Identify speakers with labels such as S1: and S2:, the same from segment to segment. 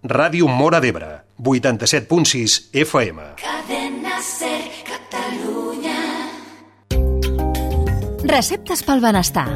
S1: Ràdio Móra d'Ebre, 87.6 FM.
S2: Cadena Ser, Catalunya.
S3: Receptes pel benestar.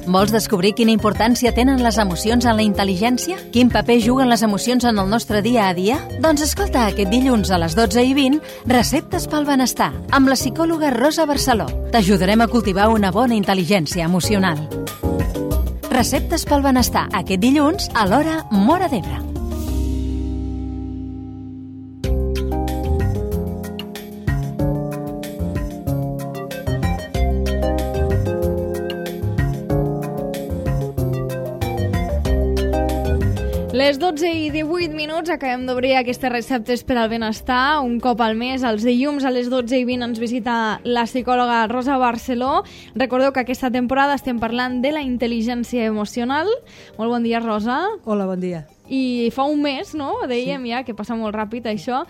S3: Vols descobrir quina importància tenen les emocions en la intel·ligència? Quin paper juguen les emocions en el nostre dia a dia? Doncs escolta aquest dilluns a les 12:20 Receptes pel benestar amb la psicòloga Rosa Barceló. T'ajudarem a cultivar una bona intel·ligència emocional. Receptes pel benestar aquest dilluns a l'hora Móra d'Ebre.
S4: Les 12:18 acabem d'obrir aquestes receptes per al benestar. Un cop al mes, els dilluns a les 12:20 ens visita la psicòloga Rosa Barceló. Recordeu que aquesta temporada estem parlant de la intel·ligència emocional. Molt bon dia, Rosa.
S5: Hola, bon dia.
S4: I fa un mes, no? Dèiem ja, que passa molt ràpid això.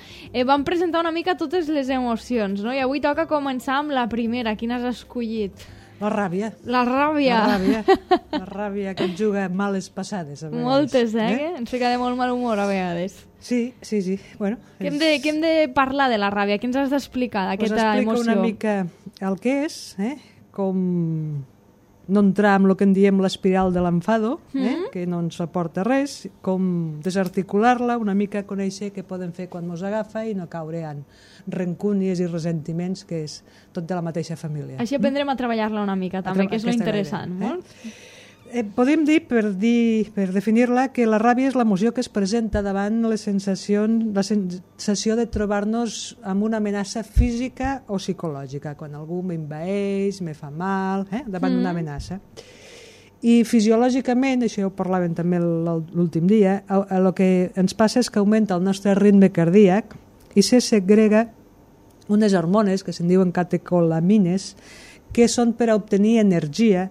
S4: Vam presentar una mica totes les emocions, no? I avui toca començar amb la primera. Quina has escollit?
S5: La ràbia.
S4: La ràbia.
S5: La ràbia que et juga males passades. A vegades.
S4: Moltes, Ens fica de molt mal humor a vegades.
S5: Sí. Bueno,
S4: Què hem de parlar de la ràbia? Què ens has d'explicar d'aquesta emoció?
S5: Explica una mica el que és, com no entrar amb el que en diem l'espiral de l'enfado, que no ens aporta res, com desarticular-la, una mica conèixer què podem fer quan ens agafa i no caure en rancúnies i ressentiments, que és tot de la mateixa família.
S4: Així aprendrem a treballar-la una mica, també, que és lo interessant. Molt?
S5: Podem dir, per definir-la, que la ràbia és l'emoció que es presenta davant la sensació de trobar-nos amb una amenaça física o psicològica, quan algú m'envaeix, me fa mal, davant d'una amenaça. I fisiològicament, això ja ho parlàvem també l'últim dia, el que ens passa és que augmenta el nostre ritme cardíac i se segrega unes hormones que se'n diuen catecolamines, que són per a obtenir energia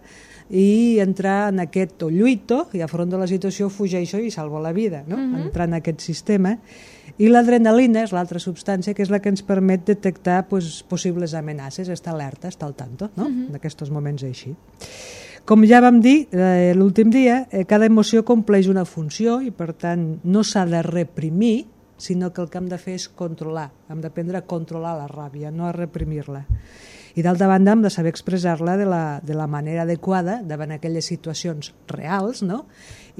S5: i entrar en aquest o lluito, i afronto la situació, fugeixo i salvo la vida, no? Entrar en aquest sistema. I l'adrenalina és l'altra substància que és la que ens permet detectar possibles amenaces, estar alerta, estar al tanto, no? En aquests moments així. Com ja vam dir l'últim dia, cada emoció compleix una funció i per tant no s'ha de reprimir, sinó que el que hem de fer és controlar. Hem d'aprendre a controlar la ràbia, no a reprimir-la. I d'altra banda hem de saber expressar-la de la manera adequada davant aquelles situacions reals, no?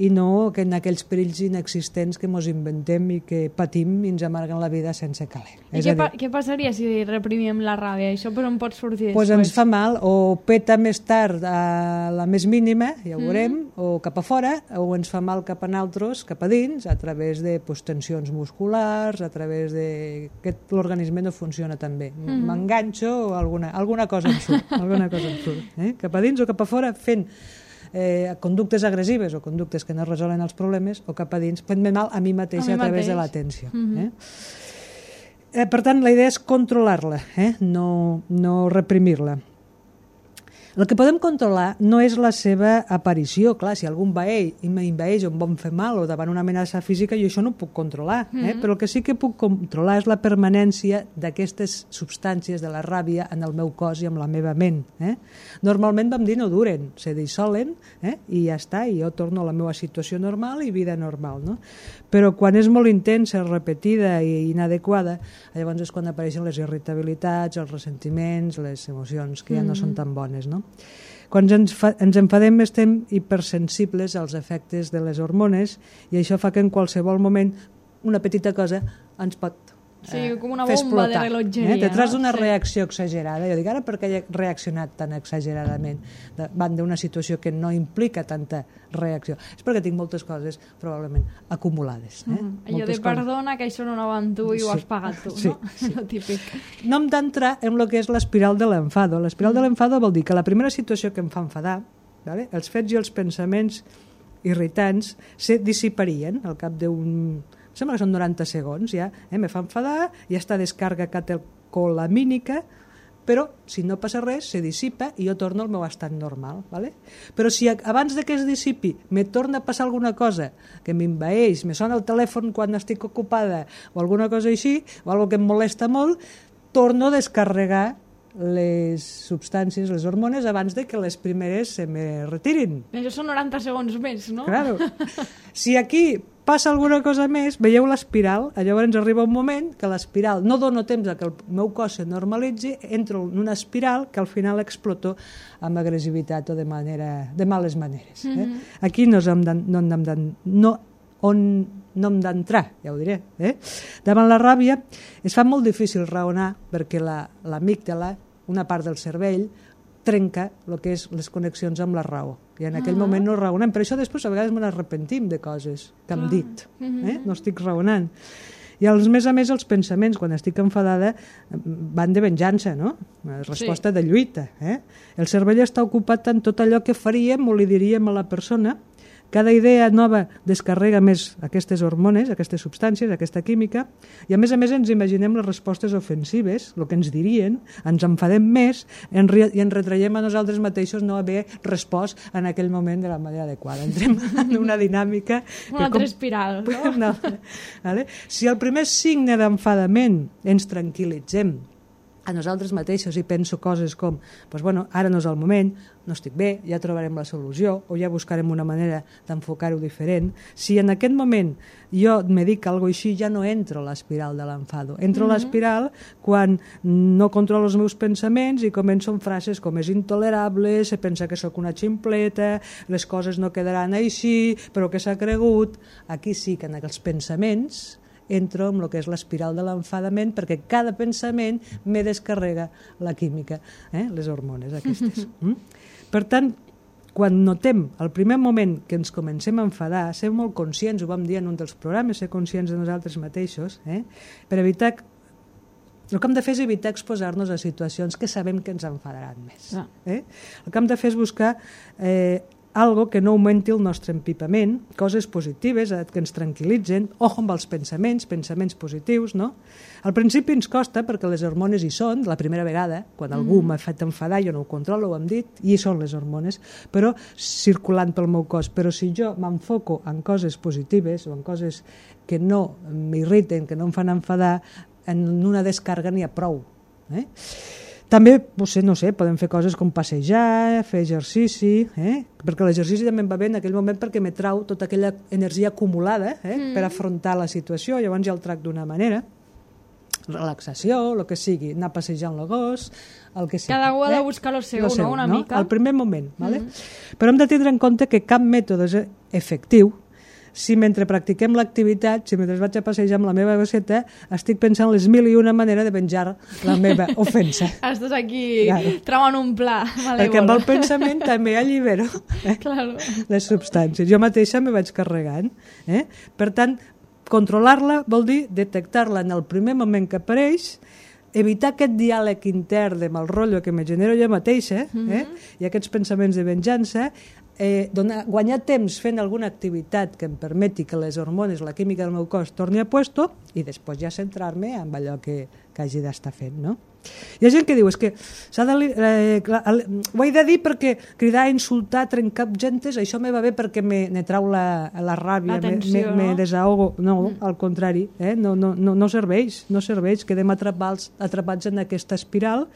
S5: I no que en aquells perills inexistents que ens inventem i que patim i ens amarguen la vida sense caler.
S4: I què passaria si reprimim la ràbia? Això per on pot sortir després?
S5: Doncs ens fa mal, o peta més tard a la més mínima, ja ho veurem, o cap a fora, o ens fa mal cap a nosaltres, cap a dins, a través de tensions musculars, a través de que l'organisme no funciona tan bé. M'enganxo o alguna cosa em surt, cap a dins o cap a fora fent conductes agressives o conductes que no resolen els problemes, o cap a dins fent-me mal a mi mateixa a través de l'atenció. Per tant, la idea és controlar-la, no reprimir-la. El que podem controlar no és la seva aparició. Clar, si algú m'envaeix o em vol fer mal o davant una amenaça física, jo això no ho puc controlar. Però el que sí que puc controlar és la permanència d'aquestes substàncies de la ràbia en el meu cos i en la meva ment. Normalment, vam dir, no duren, se dissolen i ja està, i jo torno a la meva situació normal i vida normal. No? Però quan és molt intensa, repetida i inadequada, llavors és quan apareixen les irritabilitats, els ressentiments, les emocions que ja no són tan bones, no? Quan ens enfadem estem hipersensibles als efectes de les hormones i això fa que en qualsevol moment una petita cosa ens pot
S4: com una
S5: fer
S4: bomba
S5: explotar.
S4: De rellotgeria.
S5: Detrás d'una reacció exagerada. Jo dic, ara per què he reaccionat tan exageradament davant d'una situació que no implica tanta reacció? És perquè tinc moltes coses probablement acumulades.
S4: Allò de perdona, que això no anava amb tu i ho has pagat tu, no? Lo típic.
S5: No hem d'entrar en el que és l'espiral de l'enfado. L'espiral de l'enfado vol dir que la primera situació que em fa enfadar, els fets i els pensaments irritants se dissiparien al cap d'un... Sembla que són 90 segons, ja. Me fa enfadar, ja està descarga catecolamínica, però si no passa res, se dissipa i jo torno al meu estat normal. ¿vale? Però si abans de que es dissipi me torna a passar alguna cosa que m'envaeix, me sona el telèfon quan estic ocupada o alguna cosa així, o alguna que em molesta molt, torno a descarregar les substàncies, les hormones, abans de que les primeres se me retirin.
S4: Això són 90 segons més, no?
S5: Claro. Si aquí passa alguna cosa més, veieu l'espiral, llavors arriba un moment que l'espiral, no dono temps a que el meu cos se normalitzi, entro en una espiral que al final exploto amb agressivitat o de males maneres. Aquí no hem d'entrar, ja ho diré. Davant la ràbia es fa molt difícil raonar perquè l'amígdala, una part del cervell, trenca el que és les connexions amb la raó. I en aquell moment no raonem. Per això després a vegades me n'arrepentim de coses que hem dit. No estic raonant. I a més els pensaments, quan estic enfadada, van de venjança, no? Resposta de lluita. El cervell està ocupat en tot allò que faríem o li diríem a la persona. Cada idea nova descarrega més aquestes hormones, aquestes substàncies, aquesta química, i a més ens imaginem les respostes ofensives, el que ens dirien, ens enfadem més i ens retraiem a nosaltres mateixos no haver respost en aquell moment de la manera adequada. Entrem en una dinàmica...
S4: Una altra espiral, no?
S5: No. Vale? Si el primer signe d'enfadament ens tranquil·litzem a nosaltres mateixos i penso coses com ara no és el moment, no estic bé, ja trobarem la solució o ja buscarem una manera d'enfocar-ho diferent. Si en aquest moment jo me dic alguna cosa així, ja no entro a l'espiral de l'enfado. Entro a l'espiral quan no controlo els meus pensaments i començo amb frases com és intolerable, se pensa que sóc una ximpleta, les coses no quedaran així, però què s'ha cregut? Aquí sí que en els pensaments entro en el que és l'espiral de l'enfadament perquè cada pensament me descarrega la química, les hormones aquestes. Per tant, quan notem el primer moment que ens comencem a enfadar, ser molt conscients, ho vam dir en un dels programes, ser conscients de nosaltres mateixos, per evitar... El que hem de fer és evitar exposar-nos a situacions que sabem que ens enfadaran més. El que hem de fer és buscar algo que no augmenti el nostre empipament, coses positives que ens tranquil·litzen, ojo amb els pensaments positius, no? Al principi ens costa perquè les hormones hi són, la primera vegada, quan algú m'ha fet enfadar, jo no ho controlo, ho hem dit, i hi són les hormones, però circulant pel meu cos. Però si jo m'enfoco en coses positives o en coses que no m'irriten, que no em fan enfadar, en una descàrrega n'hi ha prou. També, no sé, podem fer coses com passejar, fer exercici, perquè l'exercici també em va bé en aquell moment perquè me trau tota aquella energia acumulada per afrontar la situació, llavors ja el tracto d'una manera. Relaxació, el que sigui, anar passejant el gos, el que sigui.
S4: Cada un ha de buscar el seu, no? Una mica.
S5: Al primer moment, ¿vale? Però hem de tindre en compte que cap mètode és efectiu si mentre practiquem l'activitat, si mentre vaig a passejar amb la meva gosseta, estic pensant les 1001 manera de venjar la meva ofensa.
S4: Estàs aquí tramant un pla malèvol.
S5: Perquè amb el pensament també allibero les substàncies. Jo mateixa me vaig carregant. Per tant, controlar-la vol dir detectar-la en el primer moment que apareix, evitar aquest diàleg intern de mal rotllo que me genero jo mateixa i aquests pensaments de venjança, guanyar temps fent alguna activitat que em permeti que les hormones, la química del meu cos torni a puesto i després ja centrar-me en allò que hagi d'estar fent, no? Hi ha gent que diu, és que ho he de dir perquè cridar, insultar, trencar objectes, això me va bé perquè me trau la ràbia, me desahogo. No, al contrari, no serveix, quedem atrapats en aquesta espiral,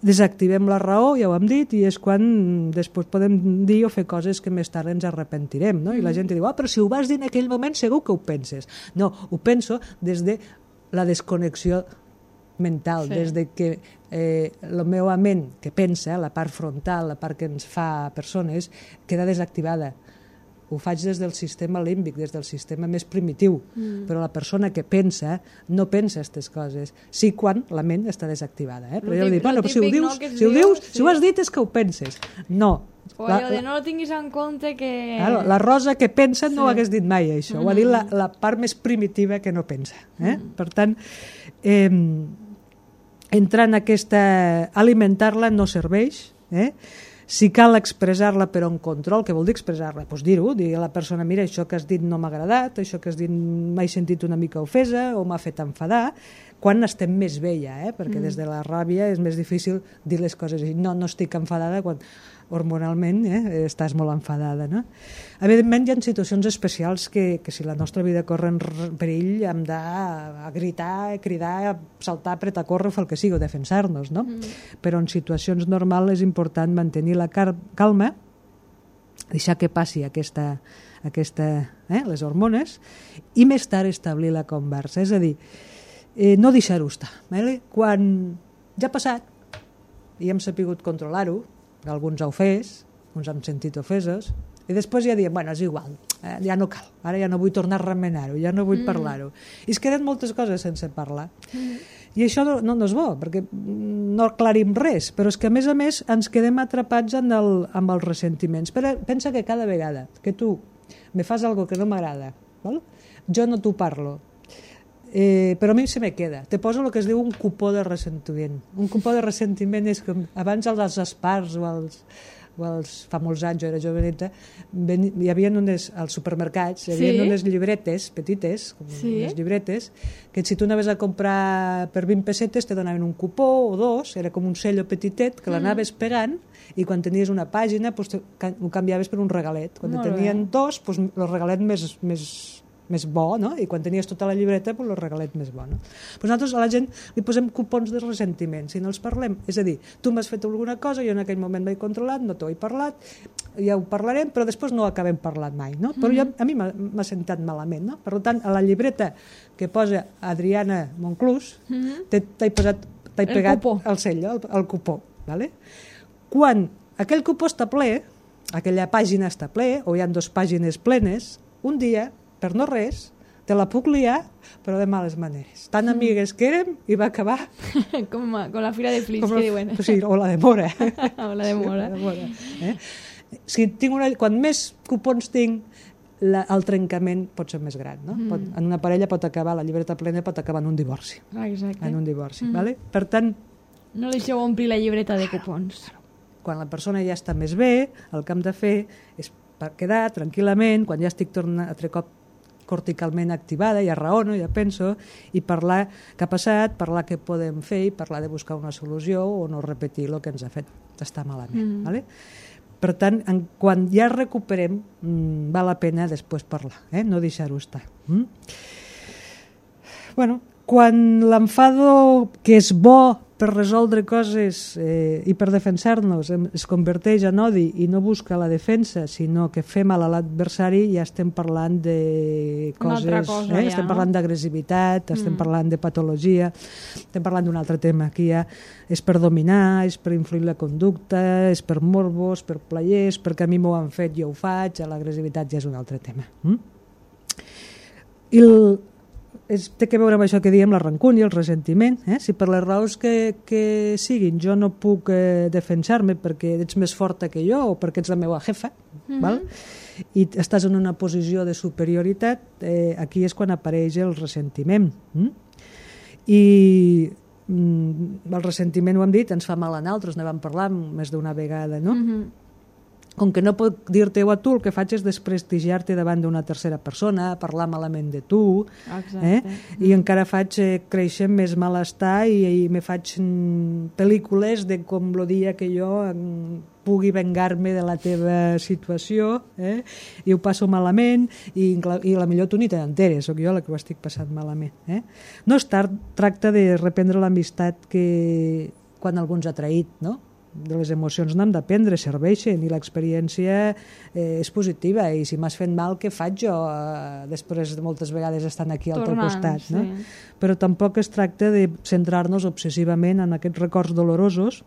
S5: desactivem la raó, ja ho hem dit, i és quan després podem dir o fer coses que més tard ens arrepentirem, no? I la gent diu, però si ho vas dir en aquell moment segur que ho penses. No, ho penso des de la desconnexió mental, des de que la meva ment que pensa, la part frontal, la part que ens fa persones, queda desactivada. Ho faig des del sistema límbic, des del sistema més primitiu, però la persona que pensa no pensa aquestes coses, sí quan la ment està desactivada. Però jo dic, bueno, si ho has dit és que ho penses. No.
S4: O allò de no tinguis en compte que...
S5: La Rosa que pensa no ho hagués dit mai, això. Ho ha dit la part més primitiva que no pensa. Per tant, entrar en aquesta... alimentar-la no serveix, si cal expressar-la però en control, què vol dir expressar-la? Doncs dir-ho, dir a la persona, mira, això que has dit no m'ha agradat, això que has dit m'he sentit una mica ofesa o m'ha fet enfadar, quan estem més bé ja, perquè des de la ràbia és més difícil dir les coses i no estic enfadada quan hormonalment estàs molt enfadada, no? Evidentment hi ha situacions especials que si la nostra vida corre en perill hem de gritar, cridar, saltar, apretar, córrer, fer el que sigui, o defensar-nos, no? Però en situacions normals és important mantenir la calma, deixar que passi aquesta les hormones, i més tard establir la conversa. És a dir, no deixar-ho estar. Quan ja ha passat i hem sapigut controlar-ho, alguns ha ofès, uns hem sentit ofesos, i després ja diem, bueno, és igual, ja no cal, ara ja no vull tornar a remenar-ho, ja no vull parlar-ho. I es queden moltes coses sense parlar. I això no és bo, perquè no aclarim res, però és que a més ens quedem atrapats amb els ressentiments. Pensa que cada vegada que tu me fas algo que no m'agrada, jo no t'ho parlo, però a mi se me queda. Te poso el que es diu un cupó de ressentiment. Un cupó de ressentiment és com abans els espars fa molts anys, jo era joveneta, hi havia als supermercats, hi havia unes llibretes petites, unes llibretes, que si tu anaves a comprar per 20 pessetes te donaven un cupó o dos, era com un cello petitet que l'anaves pegant, i quan tenies una pàgina ho canviaves per un regalet. Quan tenien dos, el regalet més bo, no? I quan tenies tota la llibreta, el regalet més bo. No? Nosaltres a la gent li posem cupons de ressentiment, si no els parlem. És a dir, tu m'has fet alguna cosa, jo en aquell moment m'he controlat, no t'ho he parlat, ja ho parlarem, però després no acabem parlant mai. No? Però a mi m'ha sentat malament. No? Per tant, a la llibreta que posa Adriana Monclús, t'he pegat el cello, el cupó. Vale? Quan aquell cupó està ple, aquella pàgina està ple, o hi ha 2 pàgines plenes, un dia, per no res, te la puc liar, però de males maneres. Tan amigues que érem i va acabar...
S4: com la fira de Flix, que diuen.
S5: Sí, o la de Mora.
S4: O la de Mora.
S5: Quan més cupons tinc, el trencament pot ser més gran. No? En una parella pot acabar, la llibreta plena pot acabar en un divorci.
S4: Exacte.
S5: En un divorci, vale? Per tant...
S4: No deixeu omplir la llibreta de cupons.
S5: Quan la persona ja està més bé, el que hem de fer és quedar tranquil·lament, quan ja estic tornant altre cop corticalment activada, ja raono, ja penso, i parlar què ha passat, parlar què podem fer i parlar de buscar una solució o no repetir el que ens ha fet estar malament. Vale? Per tant, quan ja recuperem, val la pena després parlar, no deixar-ho estar. Bueno, quan l'enfado, que és bo per resoldre coses i per defensar-nos, es converteix en odi i no busca la defensa, sinó que fe mal a l'adversari, ja estem parlant de coses, estem parlant d'agressivitat, estem parlant de patologia, estem parlant d'un altre tema, que ja és per dominar, és per influir la conducta, és per morbos, per players, perquè a mi m'ho han fet, jo ho faig, l'agressivitat ja és un altre tema. Té a veure amb això que diem, la rancúnia, el ressentiment. Si per les raons que siguin jo no puc defensar-me perquè ets més forta que jo o perquè ets la meva jefa, val? I estàs en una posició de superioritat, aquí és quan apareix el ressentiment. I el ressentiment, ho hem dit, ens fa mal a nosaltres, ne vam parlar més d'una vegada, no? Com que no puc dir-te-ho a tu, el que faig és desprestigiar-te davant d'una tercera persona, parlar malament de tu, i encara faig créixer més malestar i me faig pel·lícules de com el dia que jo pugui vengar-me de la teva situació, i ho passo malament, i la millor tu ni te n'enteres, soc jo la que ho estic passant malament. No es tracta de reprendre l'amistat que quan algú ens ha traït, no? De les emocions n'hem d'aprendre, serveixen, i l'experiència és positiva, i si m'has fet mal, què faig jo després de moltes vegades estant aquí al teu costat, no? Però tampoc es tracta de centrar-nos obsessivament en aquests records dolorosos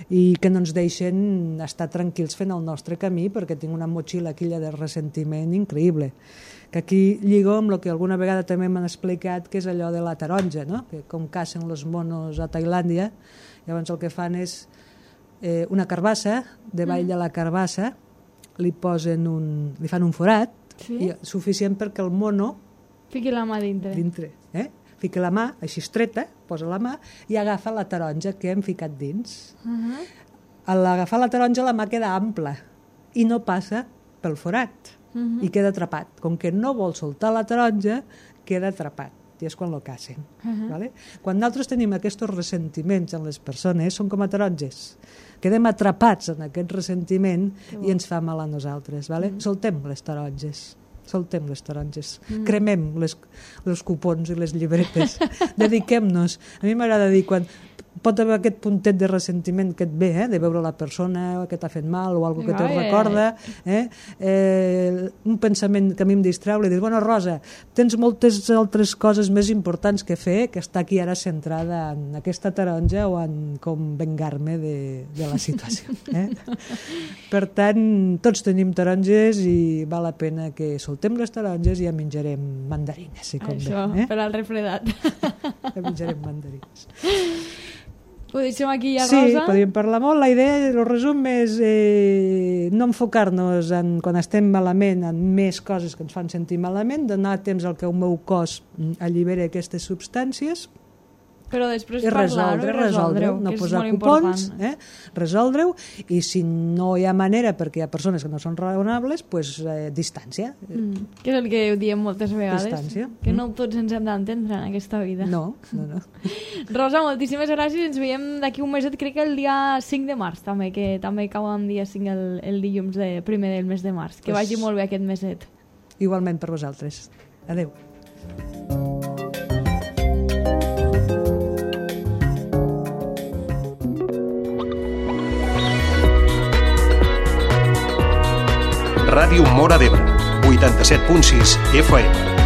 S5: i que no ens deixen estar tranquils fent el nostre camí, perquè tinc una motxilla aquella de ressentiment increïble, que aquí lligo amb el que alguna vegada també m'han explicat, que és allò de la taronja, no? Que com cacen els monos a Tailàndia, llavors el que fan és una carbassa, davall de la carbassa li fan un forat, suficient perquè el mono
S4: fiqui la mà dintre.
S5: Fiqui la mà, així estreta, posa la mà i agafa la taronja que hem ficat dins. A l'agafar la taronja la mà queda ampla i no passa pel forat i queda atrapat. Com que no vol soltar la taronja, queda atrapat. I és quan lo cacen. Vale? Quan nosaltres tenim aquests ressentiments en les persones, són com a taronges. Quedem atrapats en aquest ressentiment i ens fa mal a nosaltres. Vale? Soltem les taronges. Cremem els cupons i les llibretes. Dediquem-nos. A mi m'agrada dir, pot haver aquest puntet de ressentiment que et ve, de veure la persona que t'ha fet mal o alguna que te'l recorda, un pensament que a mi em distreu, li dius, bueno, Rosa, tens moltes altres coses més importants que fer, que està aquí ara centrada en aquesta taronja o en com vengar-me de la situació. Per tant, tots tenim taronges i val la pena que soltem les taronges i ja menjarem mandarines, si convé.
S4: Això, per al refredat.
S5: Ja menjarem mandarines.
S4: Ho deixem aquí ja,
S5: sí,
S4: Rosa?
S5: Sí, podríem parlar molt. La idea, el resum és no enfocar-nos en, quan estem malament, en més coses que ens fan sentir malament, donar temps al que el meu cos alliberi aquestes substàncies,
S4: però després
S5: i resoldre-ho, no posar cupons, resoldre-ho, i si no hi ha manera, perquè hi ha persones que no són raonables, doncs distància.
S4: Que és el que diem moltes vegades,
S5: distància.
S4: Que no tots ens hem d'entendre en aquesta vida.
S5: No.
S4: Rosa, moltíssimes gràcies, ens veiem d'aquí un meset, crec que el dia 5 de març també, que també cau en dia 5 el dilluns primer del mes de març. Que vagi molt bé aquest meset.
S5: Igualment per vosaltres. Adéu.
S1: Ràdio Móra d'Ebre, 87.6 FM.